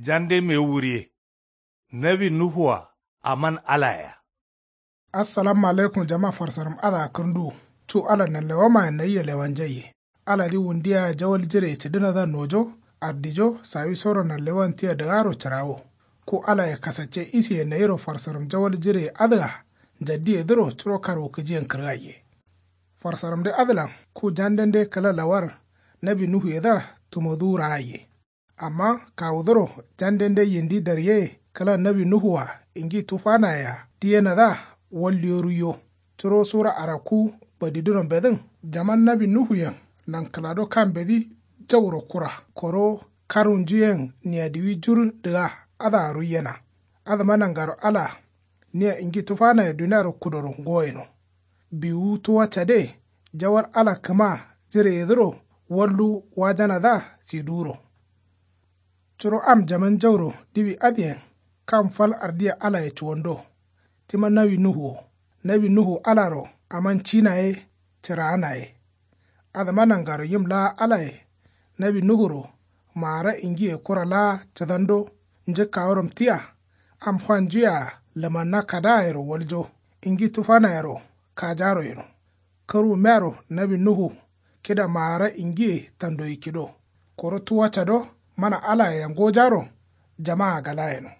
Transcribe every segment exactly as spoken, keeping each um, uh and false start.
Jande mewu wuriye. Nawi nuhu-a aman alaye-a. Assalamu alaikum jama farsaram adǝa kǝrnduwu. Cu ala nanlewamayen nayia lewanjaiye. Aladǝ wundiya jawal jireye cǝdǝnadǝa nojo ardijo sawisoro nanlewan tia dǝgaro cǝrawo. Ku alaye kasacce isiye nayiro farsaram jawal jireye adǝa njaddiyedǝro curo karwukǝjiyen kǝrgaiye. Farsaramde adǝlan ku jandende kǝla lawar nawi nuhuyedǝa tumoduwu raaiye. Amma kawuduro jandende yindi daryeye kǝla nawi nuhu-a ingi tufanayea diyenadǝa walliyo ruiyo. Curo sura arakku badidunombedǝn jaman nawi nuhuyen nankǝlado kambedǝ jauro kura koro karwunjuyen niyadiwi jur dǝga adǝa ruiyena. Adǝma nangaro ala nia ingi tufanaye duniaro kudoro ngoyeno. Biwuwu tuwa cade jawal ala kǝma jireyedǝro wallu wajanadǝa siduwuro. Curo am jaman jauro diwi adǝyen kam fal ardiya alaye cuwando. Tima nawi nuhu wo nawi nuhu alaro aman cina ye cǝraana ye. Adǝma nangaro yim laa alaye nawi nuhuro maara ingiye kura laa cǝdando njǝkkaworam tia am fanjuyea lǝmanna kadaayero waljo ingi tufanayero kajaro yeno. Kǝrwummeyaro nawi nuhu kida maara ingiye tandoyi kido koro tuwa cado mana alayea ngojaro jamaa gala yeno.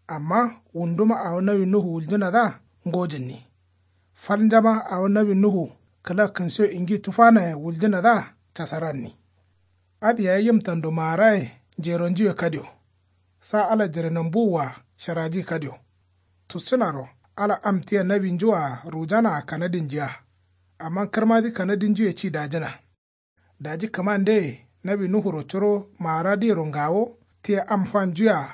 Amma wunduma awo nawi nuhu wuljǝnadǝa ngojǝnni. Fal njama awo nawi nuhu kǝla kǝnsiyo ingi tufanaye wuljǝnadǝa casaranni. Adǝ yayi yim tando maaraye njeronjuwe kadio. Sa ala jirenambuwua sharaji kadio. Tuscǝnaro ala am tia nawinjua rujanaa kanadinjiya. Amma kǝrmadǝ kanadinjuye ci dajǝna. Daji kǝmandeye nawi nuhuro curo maaradǝyero ngawo tia am fanjuyea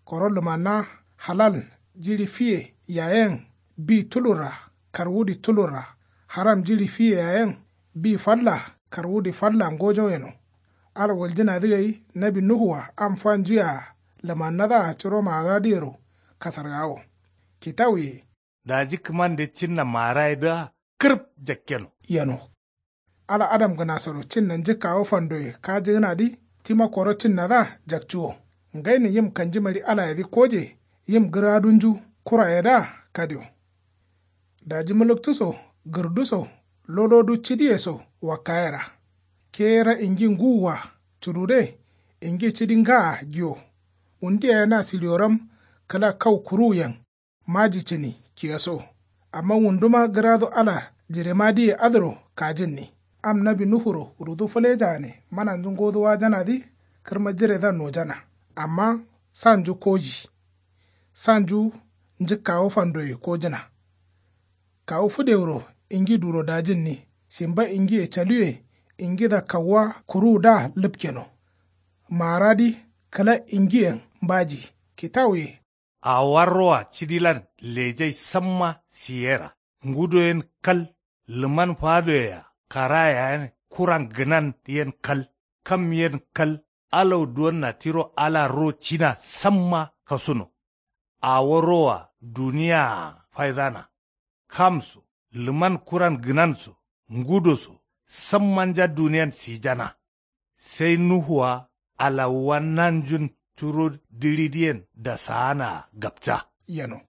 koro lǝmanna halal jiɍi fiye yayen bi tulurra karwudǝ tulurra haram jiɍi fiye yayen bi falla karwudǝ falla ngojo yeno. Ala wuljǝnadǝ gai nawi nuhu-a am fanjuyea lǝmannadǝa curo maaradǝyero kasargawo. Kitawuye. Daji kǝmande cinna maarayedǝa kǝrǝp jakkeno. Yeno. Ala adamgǝnasoro cinna njǝkkawo fandoye kajǝgǝnadǝ tima koro cinnadǝa jakcuwo. Ngainin yim kanjimari alayedǝ koje yim gǝradunju kurayedǝa kadio. Daji mǝlǝktu so gǝrdu so lolodu cidiye so wakkayera. Ke ra ingi nguwua cudude ingi cidi ngaa giwo. Wundu yaye na siliyoram kǝla kau kuruwuyen maji cǝni kiyeso. Amma wunduma gǝradu ala jiremadǝye adǝro kajǝnni. Am nawi nuhuro rudu fǝlejagane mananju ngodu wajanadǝ kǝrma jiredǝa nojana. Amma sanju koji. Sanju njǝkkawo fandoye kojǝna. Kawu fǝdewuro ingi duro dajǝnni simba ingiye caluwe ingidǝa kauwa kuruwudǝa lǝpkeno. Maaradǝ kǝla ingiyen mbaji kitawuye. Awarroa cidilan lejai samma siyera ngudo yen kal. Lǝman fadoyea kara yayen kuran gǝnan yen kal. Kam yen kal. Alau duwonna tiro ala ro cina samma kasuno. Awo roa duniyaa faidana. Kam so lǝman kuran gǝnan so ngudo so sammanja duniyan sijana. Sai nuhua alawuwa nanjun curo diɍidǝyen dasaanaa gapca. Yeno.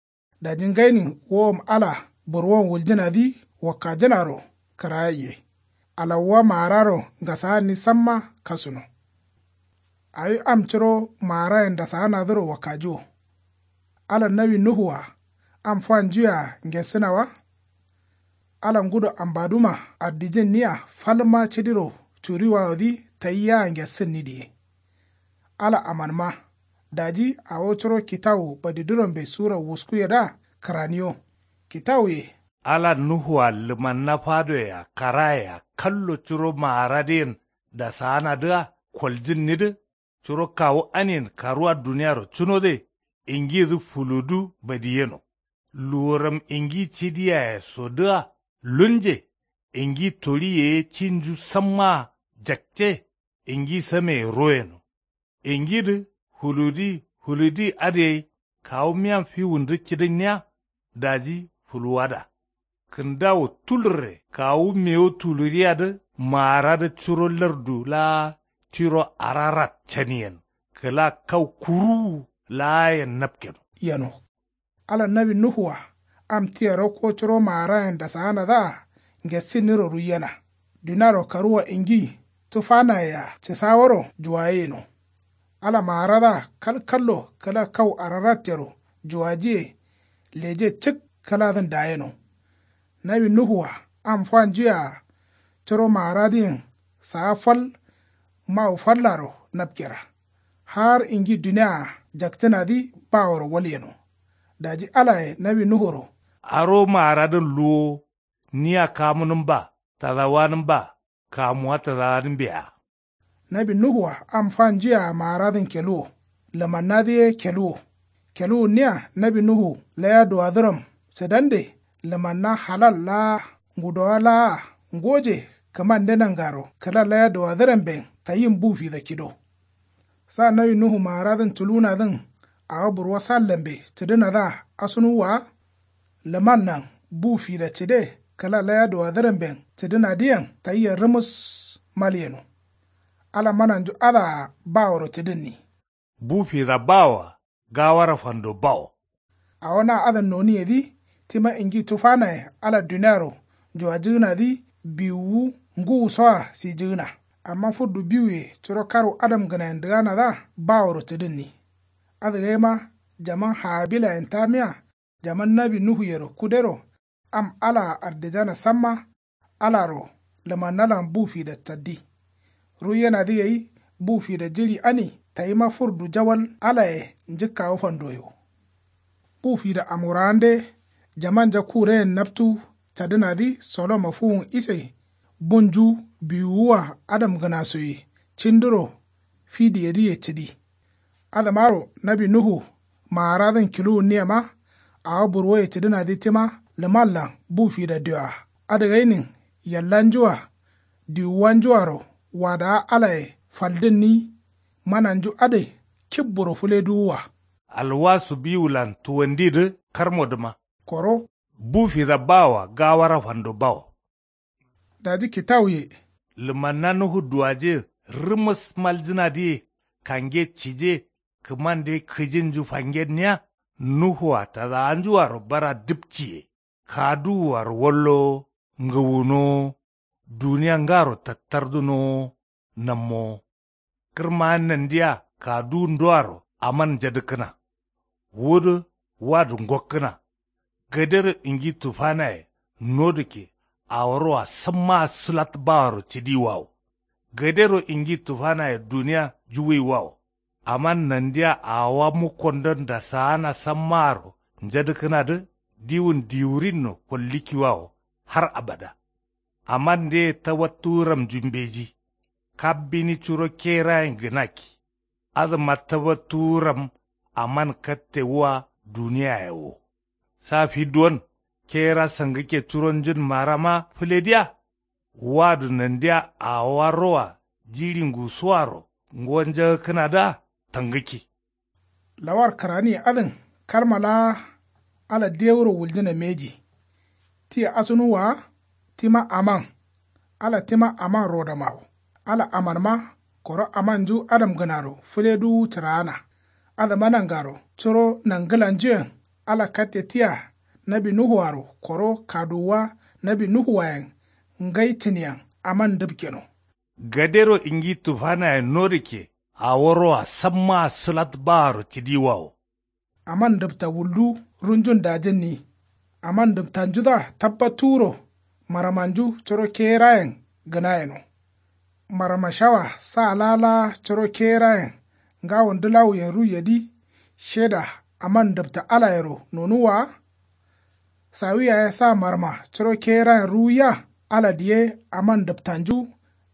Daji ngainin wowom ala burwon wuljǝnadǝ wakkajǝnaro kǝrayaiye. Alawuwa maararo ngasaanni samma kasuno. Awi am curo maarayen dasaanadǝro wakkajiwo. Ala nawi nuhu-a am fanjuyea ngessǝna wa. Ala ngudo ambaduma ardijǝnniya falma cidiro curiwawodǝ tayiyaa ngessǝnni diye. Ala amanma. Daji awo curo kitawu badidunombe sura wuskuyedǝa kǝraniyo. Kitawuye. Ala nuhu-a lǝmanna fadoyea karayea kallo curo maaradǝyen dasaanadǝa koljǝnnidǝ. Curo kawu aniyen karuwa duniyaro cunode ingidǝ fuludu badiyeno. Luworam ingi cidiyayesodǝa lunje. Ingi toɍi yeye cinju sammaa jakce. Ingi sameye royeno. Ingidǝ fuludi fuludi adǝ gai kawu miyan fiwundǝ cidǝnniya. Daji fuluwada kǝndawu tulurre kawu mewu tuluriyadǝ maaradǝ curo lardu laa tiro ararat caniyen kǝla kau kuruwu laayen napkeno. Yeno. Ala nawi nuhu-a am tia rokko curo maarayen dasaanadǝa ngesinniro ruiyena. Duniaro karuwa ingi tufanaye-a cǝsaworo juwayeyeno. Ala maaradǝa kalkallo kǝla kau ararattero juwajiye leje cǝk kǝladǝn dayeno. Nawi nuhu-a am fanjuyea curo maaradǝyen saa fal mawu fallaro napkera. Har ingi dunia-a jaktǝnadǝ baworo walyeno. Daji alaye nawi nuhuro. Aro maaradǝn luwo nia kamunǝmba tadawanǝmba kamuwa tadawanǝmbea. Nawi nuhu-a am fanjuyea maaradǝn keluwo. Lǝmannadǝ ye keluwo. Keluwunniya nawi nuhu laya duwadǝram cǝdande. Lǝmanna halal laa ngudowa laa ngoje kǝmande nangaro kǝla laya duwadǝramben tayin bu fida kido. Sa nawi nuhu maaradǝn tulunadǝn awo burwo sallambe cǝdǝnadǝa asunuwwa wa. Lǝmannan bu fida cǝde kǝla laya duwadǝramben cǝdǝnadǝyen tayia rǝmǝs malyeno. Ala mananju adǝa baworo cǝdǝnni. Bu fida bawoa gawara fando bawo. Awo na adǝn noniyedǝ tima ingi tufanaye ala duniaro juwajǝgǝnadǝ biwuwu ngǝwusoa sijǝgǝna. Amma fǝrdu biwuye curo karwu adamgǝnayen dǝganadǝa baworo cǝdǝnni. Adǝgaima jaman habilayen tamiya jaman nawi nuhuyero kudero am alaa ardijana samma. Alaro lǝmannalan bu fida caddi. Ruiyenadǝ gai bu fida jiɍi ani tayima fǝrdu jawal alaye njǝkkawo fandoye wo. Bu fida amurawande jamanja kureyen naptu cadǝnadǝ sodoma fuwun ise bunju biwuwua adamgǝnasoye cinduro fidiyedǝye cǝdi. Adǝmaro nawi nuhu maaradǝn kiluwunniyema awo burwoye cǝdǝnadǝ tima lǝmanlan bu fida dioa adǝgainin yallanju-a diwuwanju-aro wadawa alaye faldǝnni. Mananju adǝ kibburo fǝleduwua. Alwasu biwulan tuwandidǝ karmodǝma. Koro. Bu fida bawoa gawara fando bawo. Daji kitawuye. Lǝmanna nuhu duwaje rǝmǝs maljǝnadǝye kange cije kǝmande kǝjinju fangenniya. Nuhu-a tadawanju-aro bara dǝpciye kaduwu-aro wallowo ngǝwunowo duniya ngaro tattardǝnowo nammowo. Kǝrma nandiya kaduwundoaro aman njadǝkkǝna. Wudǝ wadǝ ngokkǝna. Gadero ingi tufanaye nodǝkke aworoa sammaa sǝlat baworo cǝdiwawo. Gadero ingi tufanaye duniya juwuiwawo. Aman nandiya awowa mukkondon dasaana sammaaro njadǝkkǝnadǝ diwun diwurinno kollǝkkiwawo har abada. Aman ndeye tabattuwuramnju mbeji. Kabbini curo kerayen gǝnakki. Adǝma tabattuwuram aman katte wua duniyaye wo. Sa fi duwon kera sangǝkke curonjun marama fǝlediya. Wadǝ nandiya awowa roa jiɍi ngusuwaro ngo njagǝkkǝnadǝa tangǝkki. Lawar kǝraniye adǝn kalma laa ala dewuro wuljǝna mbeji. Tia asunuwwa wa tima aman. Ala tima aman rodoma wo. Ala amanma koro amanju adamgǝnaro fǝleduwu cǝraana. Adǝma nangaro curo nangǝlanjuyen ala katte tia nawi nuhuaro koro kaduwuwa nawi nuhuwayen ngai cǝniyen aman ndǝpkeno. Gadero ingi tufanaye nodǝkke aworoa sammaa sǝlat baaro cǝdiwawo. Aman ndǝpta wuldu runjun dajǝnni. Aman ndǝptanjudǝa tabbattuwuro maramanju curo kerayen gǝnayeno. Marama shawa sa laa laa curo kerayen ngawo ndǝlawuyen ruiyedǝ sheda aman ndǝpta alayero nonuwwa wa. Sawi yaye sa marma curo kerayen ruwiya. Ala diye aman ndǝptanju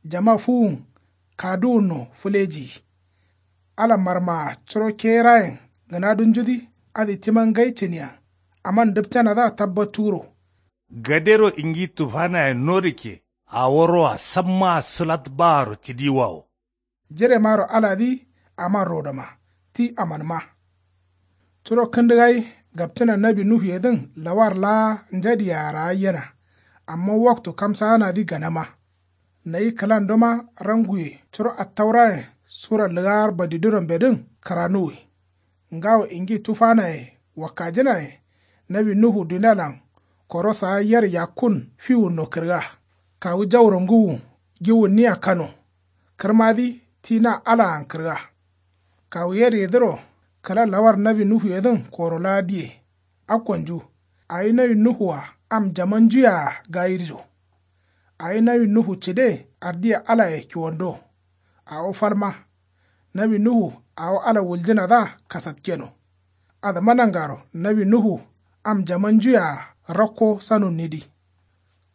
jama fuwun kaduwunno fǝlejiyi. Ala marmaa curo kerayen gǝnadunjudǝ adǝ tima ngai cǝniyen aman ndǝpcanadǝa tabbattuwuro. Gadero ingi tufanaye nodǝkke aworoa sammaa sǝlat baaro cǝdiwawo. Jiremaro aladǝ aman rodoma ti amanma. Curo kǝndǝ gai gapcǝna nawi nuhuyedǝn lawar laa njadiye arayyena. Amma waktu kamsaanadǝ ganama. Nayi kǝlandoma ranguye curo attaurayen Sura lǝgaar badidǝro mbedǝn kǝranuwi. Ngawo ingi tufanaye wakkajǝnaye. Nawi nuhu dunialan koro saa yer yakkun fiwunno kǝrga. Kawu jauro ngǝwu giwunniya kano. Kǝrmadǝ ti na alaan kǝrga. Kawu yer yedǝro kǝla lawar nawi nuhuyedǝn koro laa diye. Akkonju awi nawi nuhu-a am jamanjuye-a gayirjo. Awi nawi nuhu cǝde ardiye alaye kiwando. Awo falma nawi nuhu awo ala wuljǝnadǝa kasatkeno. Adǝma nangaro nawi nuhu am jamanjuye-a rakko sanunnidǝ.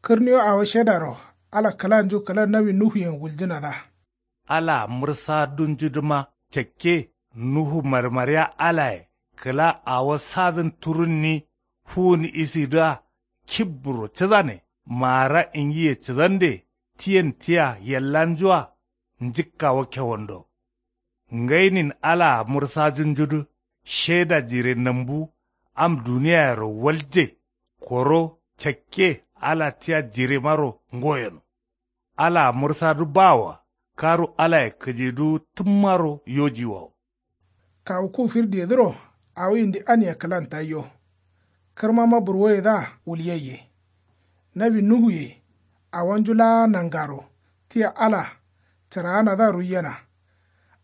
Kǝrniyo awo shedaro ala kǝlanju kǝla nawi nuhuyen wuljǝnadǝa. Alaa mǝrsadunjudǝma cakke nuhu marmariya alaye kǝla awo sadǝn turunni fuwun isidǝa kibburo cǝdane. Maara ingiye cǝdande tiyen tia yellanjua njǝkkawo kewando. Ngainin alaa mǝrsajunjudǝ sheda jire nambu am duniyayero walje. Koro cakke ala tia jiremaro ngoyeno. Alaa mǝrsadǝ bawoa karu alaye kǝjiduwu tǝmmaro yojiwawo. Kawu ku firdiyedǝro awo yindi ania kǝlan tayyo. Kǝrmama burwoyedǝa wulyaiye. Nawi nuhuye awonju laa nangaro tia ala cǝraanadǝa ruiyena.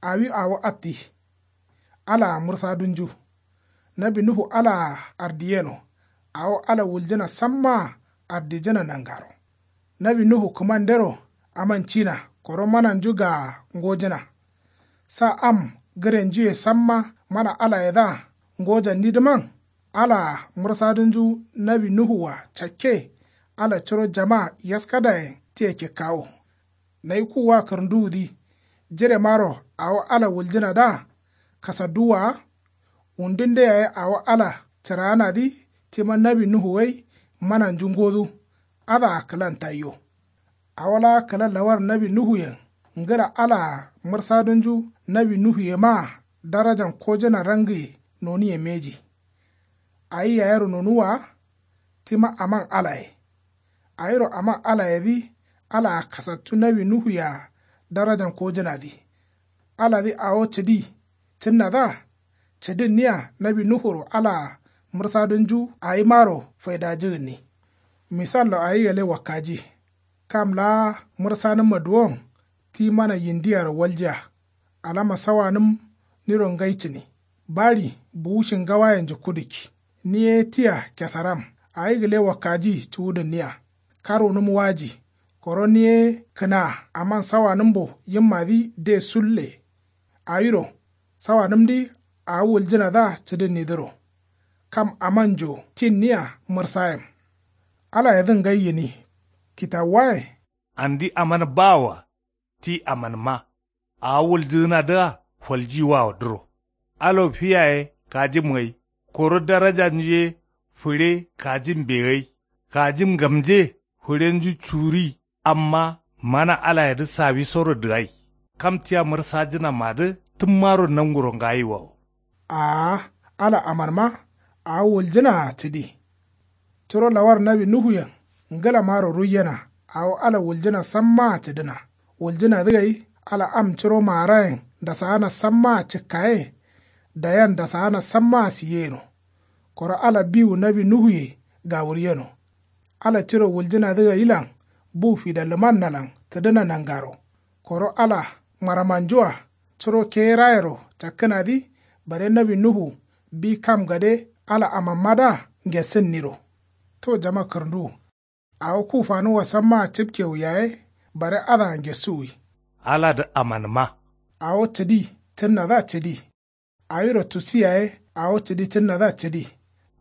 Awi awo atti. Alaa mǝrsadunju. Nawi nuhu alaa ardiyeno. Awo ala wuljǝna sammaa ardijǝna nangaro. Nawi nuhu kǝmandero amancina koro mananju gaa ngojǝna. Sa am gǝrenjuye samma mana alayedǝa ngojannidǝman. Alaa mǝrsadunju nawi nuhu-a cakke. Ala curo jama yaskadayen tia kikkawo. Nayi kuwwa kǝrǝnduwudǝ jiremaro awo ala wuljǝnadǝa kasadduwwa wa. Wundunde yaye awo ala cǝraanadǝ tima nawi nuhu gai mananju ngodu. Adǝa kǝlan tayyo. Awo laa kǝla lawar nawi nuhuyen ngǝla alaa mǝrsadunju nawi nuhuyemaa darajan kojǝna rangiye noniye mbeji. Awi yayero nonuwwa wa. Tima aman alaye. Awiro aman alayedǝ alaa kasattu nawi nuhuye-a darajan kojǝnadǝ. Aladǝ awo cǝdi cǝnnadǝa cǝdǝnniya nawi nuhuro alaa mǝrsadunju awimaro faidajǝgǝnni. Misallo awi gale wakkaji. Kam laa mǝrsanǝmma duwon ti mana yindiyaro waljiya. Alama sawanǝm niro ngai cǝni. Baɍi buwu shingawayenju kudukki. Ni ye tia kesaram awi gǝle wakkaji cuwudǝnniya. Karwunǝm waji. Koro ni ye kǝnaa aman sawanǝmbo yimmadǝ de sulle. Awiro sawanǝmdǝ awo wuljǝnadǝa cǝdǝnnidǝro. Kam amanjo tinniya mǝrsayem. Alayedǝn ngai gǝni. Kitawuwaye. Andi aman bawoa ti amanma. Awo wuljǝgǝnadǝa faljiwawodǝro. Alo fi yaye kajim gai. Koro darajanju ye fǝɍe kajimbe gai. Kajim ngamje fǝɍenju curi. Amma mana alayedǝ sawisoro dǝgai. Kam tia mǝrsajǝnamadǝ tǝmmaro nanguro ngayiwawo. Aa ala amanma awo wuljǝnaa cǝdi. Curo lawar nawi nuhuyen ngǝlamaro ruiyena. Awo ala wuljǝna sammaa cǝdǝna. Wuljǝnadǝ gai ala am curo maarayen dasaana sammaa cǝkkaye. Dayan dasaana sammaa siyeyeno. Koro ala biwu nawi nuhuye gawuryeno. Ala tiro wuljǝnadǝ gailan bu fida lǝmannalan tǝdǝna nangaro. Koro ala maramanjua curo keyerayero cakkǝnadǝ bare nawi nuhu bi kam gade ala amanmadǝa ngessǝnniro. To jama kǝrǝnduwu. Awo ku fanuwa sammaa cǝpkewu yaye bare adǝa ngessuwi. Aladǝ amanǝma. Awo cǝdi cǝnnadǝa cǝdi. Awiro tusi yaye awo cǝdi cǝnnadǝa cǝdi.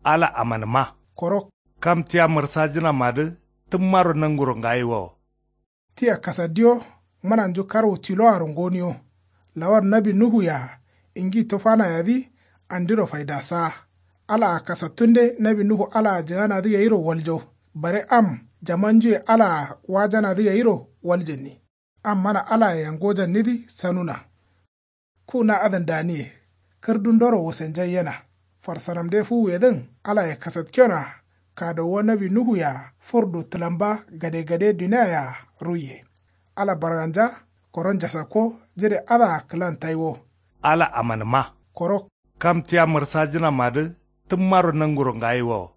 Ala amanǝma. Koro. Kam tia mǝrsajǝnamadǝ tǝmmaro nanguro ngayiwawo. Tia kasaddiyo mananju karwu tiloaro ngoniyo. Lawar nawi nuhuye-a ingi tufanayedǝ andiro faidasaa. Alaa kasattunde nawi nuhu alaa jǝganadǝ gairo waljo. Bare am jamanjuye alaa wajanadǝ gairo waljǝnni. Am mana alaye yangojannidǝ sanuna. Ku na adǝn daniye. Kǝrdundoro wusenjaiyena. Farsaramde fuwuyedǝn alaye kasatkenoa. Kadowuwa nawi nuhuye-a furdu tǝlamba gade gade duniaye-a ruiye. Ala barganja koro njasakko. Jire adǝa kǝlan taiwo. Ala amanǝma. Koro. Kam tia mǝrsajǝnamadǝ tǝmmaro nanguro ngayiwowo.